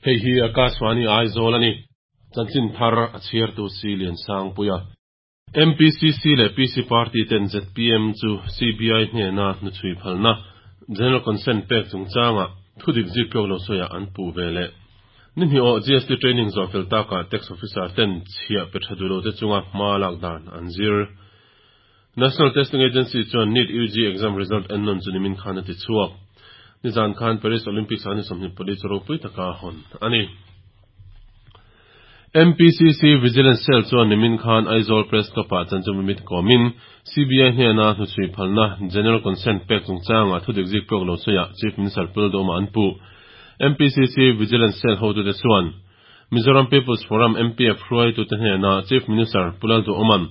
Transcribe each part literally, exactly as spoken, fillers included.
Hei hi Akashvani Aizawl a ni. Chanchin thar a chhiartu si Liansangpuia. M P C C leh P C Party ten Z P M chu C B I hnena hnuchhui phalna General Consent pek chungchanga thudik ziktlawk lo sawiah an puh ve leh. Ni hnih awh G S T training zawh fel takah tax officer ten chhiah pe tha duh lo te chunga hma lak dan an zir. National Testing Agency chuan NEET U G exam result en nawn chu nimin khan a ti chhuak. Nizan khan Paris Olympics ani sawmhnih pali chu ropui taka hawn ani. M P C C Vigilance Cell chuan nimin khan Aizawl Press Club-ah chanchinbumi kawmin C B I hnena hnuchhui phalna General Consent pek chungchanga thudik ziktlawk lo sawiah Chief Minister Pu Lalduhoma an puh. M P C C Vigilance Cell hotute chuan Mizoram People's Forum M P F hruaitute hnena Chief Minister Pu Lalduhoma'n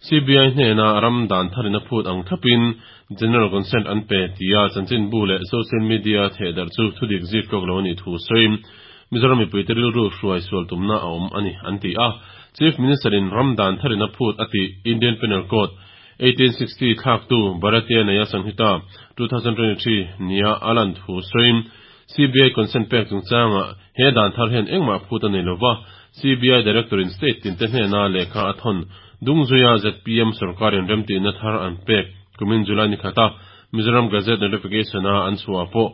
C B I hnena ram dan tharina phut ang thlapin General Consent an pe tia chanchinbu leh social media thehdar chu thudik ziktlawk lo ani thu sawiin Mizoram mipuite rilru hruai sual tumna a awm ani an ti a. Chief Minister in ram dan tharina phut ati Indian Penal Code eighteen sixty thlak tu Bharatiya Nyaya Sanhita twenty twenty-three nia alan thu sawiin C B I consent pek chungchanga he dan thar hian engmah phut ani lova, C B I Director in state tin te hnena lehkha a thawn dungzuia Z P M sarkarin remtihna thar an pek kumin July ni khata Mizoram Gazette notification a an chhuah pawh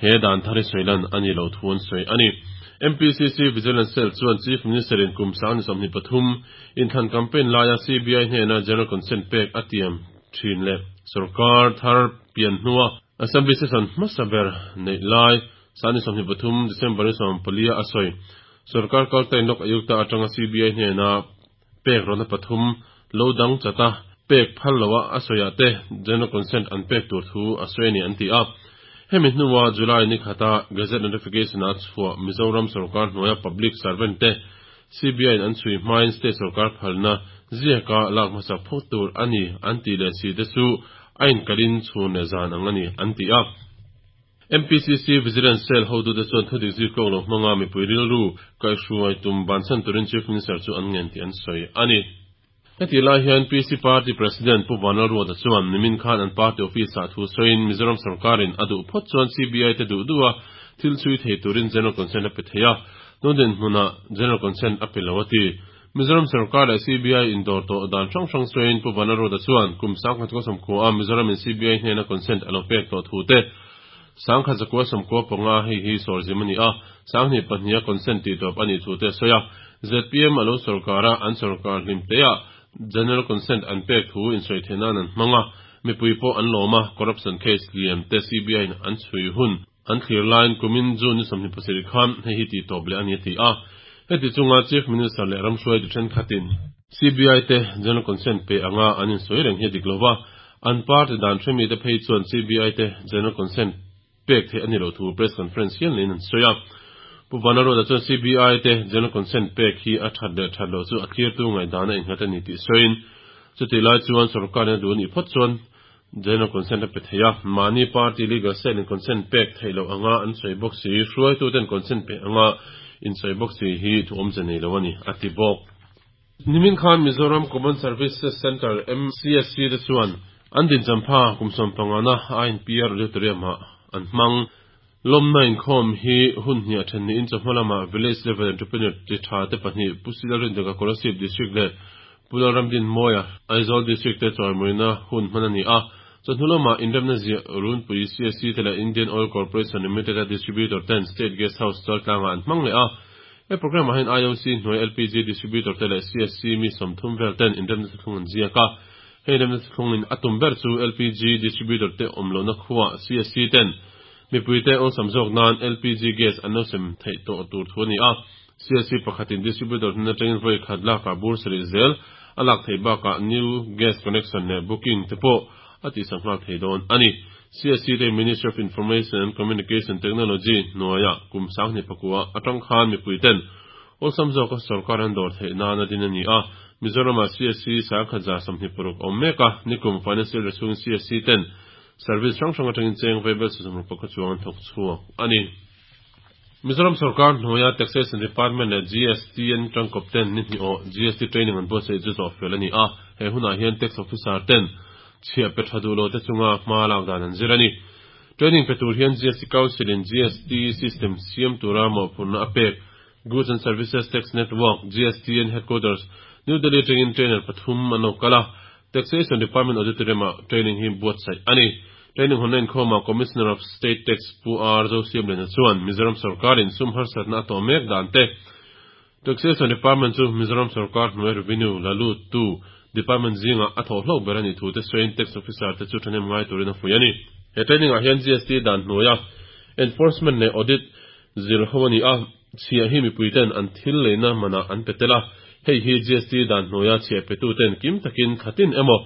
he dan thar hi sawilan ani lo thu an sawi ani. M P C C Vigilance Cell chuan Chief Minister in kum sang ni sawmhnih pathum inthlan campaign laia C B I hnena General Consent pek a tiam thin leh sarkar thar pian hnua Assembly session hmasa ber nei lai sani sawmhnih pathum December ni sawm palia a sawi sarkar kaltain Lok Ayukta atanga C B I hnena pek rona pathum lo dang chata pek phal lowa a sawiah te General Consent an pek tur thu a sawi ani an ti a. Hemi hnuwa July ni khata Gazette notification a chhuah Mizoram sarkar hnuaia public servant te C B I an chhui hmain state sarkar phalna ziaka lak hmasa phawt tur ani an ti leh si te chu a inkalin chhun leh zan ang ani an ti a. M P C C Vigilance Cell hotute chuan thudik ziktlawk lo hmanga mipui rilru kaihhruai tum bansan turin Chief Minister chu an ngen tih an sawi ani. Heti lai hian P C Party President Pu Vanlalruata chuan nimin khan an party office ah thu sawiin Mizoram sarkarin a duh phawt chuan C B I te duh duh a thil chhui thei turin General Consent a pe thei a, tundin hmunah General Consent a pe lo a ti. Mizoram sarkar leh C B I indawr tawh dan hrang hrang sawiin Pu Vanlalruata chuan kum sangkhat kaw sawmkua a Mizoram in C B I hnena consent a lo pek tawh thu te, sangkhat zakua sawmkua panga hei hi sawrzim ani a, sanghnih pahnih a consent tih tawp ani thu te sawi a. Z P M alo sarkara an sarkar hlim te a General Consent an pek thu in sawi theihnan an hmanga, mipui pawh an lawma, corruption case lian te C B I in an chhui hun an thlir laiin kumin June ni sawmhnih pasarih khan hei hi tih tawp leh ani a ti a. Heti chunga Chief Minister leh ramhruai tu thenkhatin C B I te General Consent pe anga an insawi reng hi a dik lova, an party dan hremi te phei chuan C B I te General Consent pek theih ani lo thu press conference hial niin an sawi a. Pu Vanlalruata chuan C B I te General Consent pek hi a that leh that lo chu a thlir tu ngaihdan a innghat ani tih sawiin chuti lai chuan sarkarin a duh anih phawt chuan General Consent a pe thei a, mahni party legal cell in consent pek theih loh anga an sawi bawk si, hruaitu ten consent pe anga in sawi bawk si hi thu awmze nei lo ani a ti bawk. Nimin khan Mizoram Common Services Center M C S C te chuan an din champha kum sawm pangana I N P R Auditorium ah an hmang. Lawmna inkhawm hi hun hniah then niin chawhma lama village level entrepreneur ti tha te pahnih Pu Silalrindaka Kolasib District leh Pu Lalramdin Mawia Aizawl District te chawimuina hun hman ani a. Chawhnu lama inremna ziah runpui C S C te leh Indian Oil Corporation Limited a distributor ten State Guest House Chaltlangah an hmang leh a. He program ah hian I O C hnuai L P G distributor te leh C S C mi sawmthum vel ten inremna thlung an ziak a. Hei inremna thlung in a tum ber chu L P G distributor te awm lohna khuwa C S C ten mipui te awlsam zawk nan L P G gas an lo sem theih tawh tur thu ani a. C S C pakhatin distributor hnen atangin vawi khat lakah bur sarih zel a lak theih bakah new gas connection leh booking te pawh a ti sak nghal thei dawn ani. C S C te Ministry of Information and Communication Technology hnuaia kum sanghnih pakua atang khan mipui ten awlsam zawk a sarkar an dawr theih nan a din ani a. Mizorama C S C sangkhat za sawmhnih paruk awm mek a, nikum financial year chhungin C S C ten service hrang hrang atangin cheng vaibel sawmruk pakhat chuang an thawk chhuak ani. Mizoram sarkar hnuaia Taxation Department leh G S T an tangkawp ten ni hnih awh G S T training an buatsaih chu zawh fel ani a. He hunah hian tax officer ten chhiah pe tha duh lo te chunga hma lak dan an zir ani. Training pe tur hian G S T Council in G S T system siam tura mawhphurhna a pek Goods and Services Tax Network, G S T N Headquarters, New Delhi atangin trainer pathum an lo kal a. Taxation Department Auditorium ah training hi buatsaih a ni. Training hawnna inkhawmah Commissioner of State Tax Pu R Zosiamliana chuan Mizoram sorkarin sum harsatna a tawh mek dan te, Taxation Department chu Mizoram sorkar hnuai revenue la lut tu department zingah a thawh hlawk ber a nih thu te sawiin tax officer te chu thahnem ngai turin a fuih a ni. He training ah hian G S T dan hnuaia enforcement leh audit zir ho a ni a, chhiah hi mipui ten an thil leina manah an pe tel a, hei hi G S T dan hnuaia chhiah petu ten kim takin thlatin emaw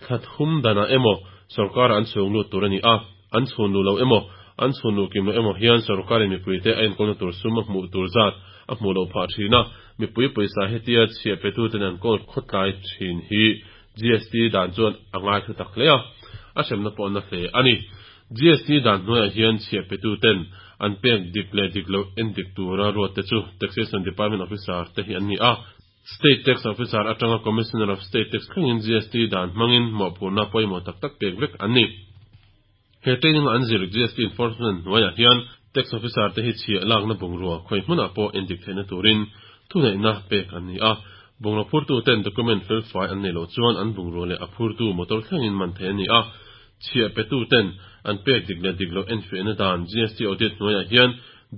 thla thum danah emaw sorkar an chhung lut tur a ni a, an chhun lu lo emaw an chhun lu kim lo emaw hian sorkarin mipui te a enkawlna tur sum a hmuh tur zat a hmuh loh phah thin a, mipui pawisa hetia chhiah petu ten an kawl khawtlai thin hi G S T dan chuan a ngai thu tak hle a, a hremna pawh na hle a ni. G S T dan hnuaiah hian chhiah petu ten an pek dik leh dik loh en dik tura ruat te chu Taxation Department officer te hi an ni a. State Tax Officer atanga Commissioner of State Tax thlengin G S T dan hmangin mawhphurhna pawimawh tak tak pek vek an ni. He training an zir G S T enforcement hnuaiah hian tax officer te hi chhiah lakna bungrua khawi hmunah pawh en dik theihna turin thuneihna pek an ni a. Bungrua phurtu ten document fel fai an nei loh chuan an bungrua leh a phurtu motor thlengin man thei a ni a. Chhiah petu ten an pek dik leh dik loh en fiahna dan G S T audit hnuaiah hian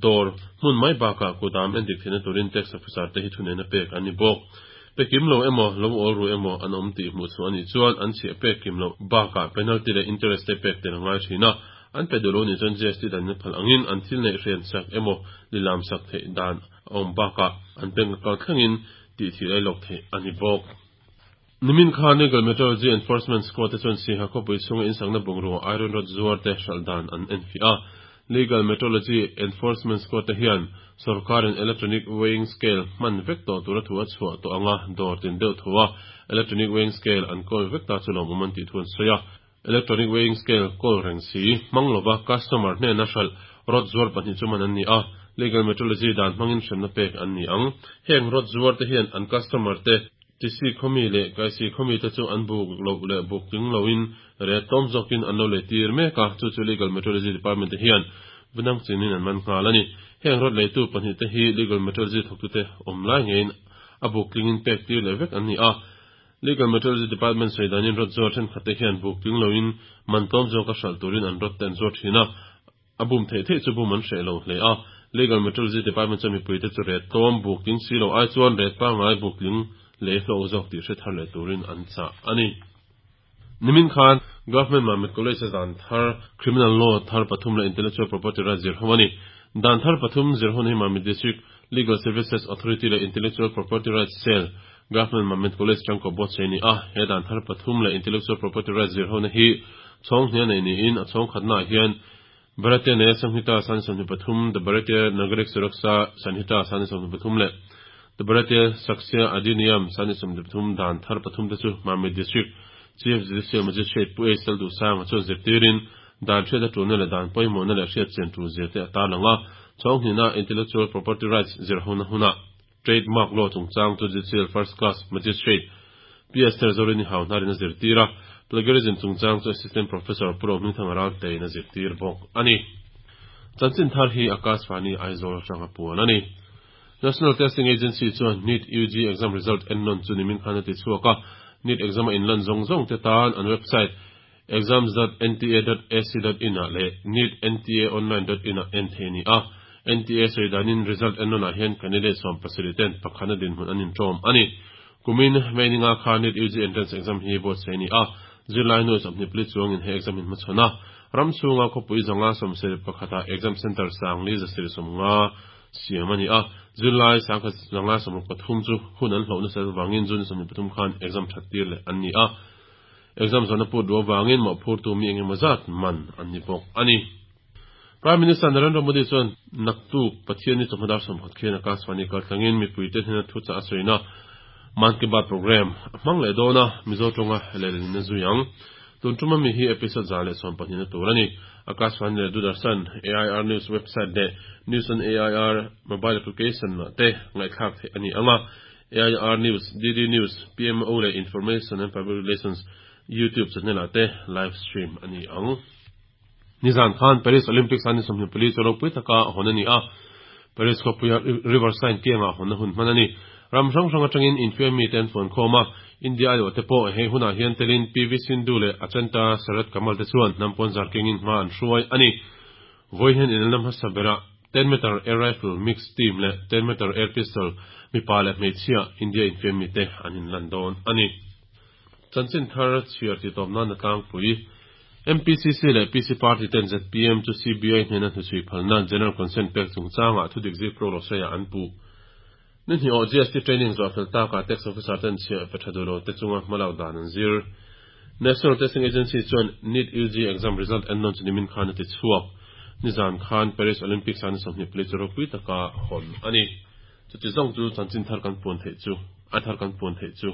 dawr hmun mai bakah kudam en dik theihna turin tax officer te hi thuneihna pek an ni bawk. Pe kim lo emaw lo awl ru emaw an awm tih hmuh chhuah a nih chuan an chhiah pek kim loh bakah penalty leh interest te pek tel a ngai thin a. An pe duh lo nih chuan G S T dan in phal angin an thil neih hrian sak emaw lilam sak theih dan a awm bakah an bank account thlengin tih thil ei lawk theih a ni bawk. Nimin khan Legal Metrology Enforcement Squad te chuan Siaha khawpui chhunga insakna bungrua iron rod zuar te hralh dan an en fiah a. Legal Metrology Enforcement Squad te hian sorkarin electronic weighing scale hman vek tawh tura thu a chhuah tawh anga dawr tin deuh thaw a electronic weighing scale an kawl vek ta chu lawmawm an tih thu an sawi a. Electronic weighing scale kawl reng si hmang lova customer hnena hralh rod zuar pahnih chu man an ni a. Legal Metrology dan hmangin hremna pek an ni ang. Heng rod zuar te hian an customer te Tisi khawmi leh Kaisi khawmi te chu an buk loh leh buk tling loin ret tlawm zawkin an lo lei tir mek a, chu chu Legal Metrology Department te hian vunang chinin an man nghal a ni. Heng rod leitu pahnih te hi Legal Metrology thawktute awm lai ngeiin a buk tlingin pek tir leh vek an ni a. Legal Metrology Department sawi danin rod zuar thenkhat te hian buk tling loin man tlawm zawk a hralh turin an rod te an zuar thin a, a bum theih theih chu bum an hreh lo hle a. Legal Metrology Department chuan mipui te chu ret tlawm buk tling si lo ai chuan ret pangngai buk tling lei hlawk zawk tih hre thar leh turin an chah a ni. Nimin khan Government Mamit College a dan thar Criminal Law thar pathum leh Intellectual Property Rights zir ho a ni. Dan thar pathum zir ho hi Mamit District Legal Services Authority leh Intellectual Property Rights Cell, Government Mamit College tangkaw buatsaih a ni a. He dan thar pathum leh Intellectual Property Rights zir hona hi chhawng hnih a nei niin a chhawng khatnaah hian Bharatiya Nyaya Sanhita sangni sawmhnih pathum, the Bharatiya Nagarik Suraksha Sanhita sangni sawmhnih pathum leh the Bharatiya Sakshya Adhiniyam sangni sawmhnih pathum dan thar pathum te chu Mamit District Chief Judicial Magistrate Pu A Sel Duhsanga chuan zirtirin dan hriat a tulna leh dan pawimawhna leh hriat chian tul zir te a tarlang a. Chhawng hnihna Intellectual Property Rights zir hona hunah Trademark Law chungchang chu Judicial First Class Magistrate P Esther Zorini Hauhnarin a zirtir a. Plagiarism chungchang chu Assistant Professor Pu Rohmingthanga Raltein a zirtir bawk a ni. Chanchin thar hi Akashvani Aizawl atanga puan a ni. National Testing Agency chuan NEET U G exam result en nawn chu nimin khan a ti chhuak a. NEET exam a inlan zawng zawng te tan an website exams dot N T A dot A C dot in ah leh neet N T A online dot in ah en thei a ni a. N T A sawi danin result en nawnah hian candidate sawm pasarih ten pakhana dinhmun an inṭawm a ni. Kumin May ninga khan NEET U G entrance exam hi buatsaih a ni a. Zirlai nuai sawmhnih pali chuangin he exam in hmachhawn a. Ram chhunga khawpui zanga sawmsarih pakhata exam center sangli zasarih sawmnga siam a ni a. Zirlai sangkhat zanga sawmruk pathum chu hun an hlauh nasa wangin June sawmhnih pathum khan exam that tir leh an ni a. Exam zawhna put ruah wangin mawhphurtu mi engemaw zat man an ni bawk a ni. Prime Minister Narendra Modi chuan naktuk Pathianni chawhma dar sawmkhat khian Akashvani kaltlangin mipuite hnena thu chah a sawina Mann Ki Baat program a hmang leh dawn a, Mizo tawnga lehlin a zui ang. Tun tuma mi hi episode za leh sawm pahnih na tur a ni. Akashvani leh Doordarshan, A I R News website leh News on A I R mobile application ah te ngaihthlak theih a ni ang a. A I R News, D D News, P M O leh Information and Public Relations YouTube channel ah te live stream a ni ang. Nizan khan Paris Olympics an sawmhnih pali chu ropui taka hawn a ni a. Paris khawpuia Riverside kiangah hawnna hun hman a ni. Ram hrang hrang atangin infiam mi te an fuan khawm a. India aiawh te pawh hei hunah hian telin P V Sindhu leh Achanta Sharath Kamal te chuan hnam pawn zar kengin hma an hruai a ni. Vawiin hian inelna hmasa berah ten meter air rifle mixed team leh ten meter air pistol mipa leh hmeichhia India infiam mi te an inlan dawn a ni. Chanchin thar chhiar ti tawp nan a tlangpui. M P C C leh P C Party ten Z P M chu C B I hnena hnuchhui phalna General Consent pek chungchangah thudik zik pro lo sawiah an puh. Ni hnih aw G S T training zawh fel takah tax officer ten chhiah pe tha duh lo te chunga hmalak dan an zir. National Testing Agency chuan NEET U G exam result en nawn chu nimin khan a ti chhuak. Nizan khan Paris Olympics an sawmhnih pali chu ropui taka hawn a ni. Chuti zawng chu chanchin thar kan puan theih chu a thar kan puan theih chu.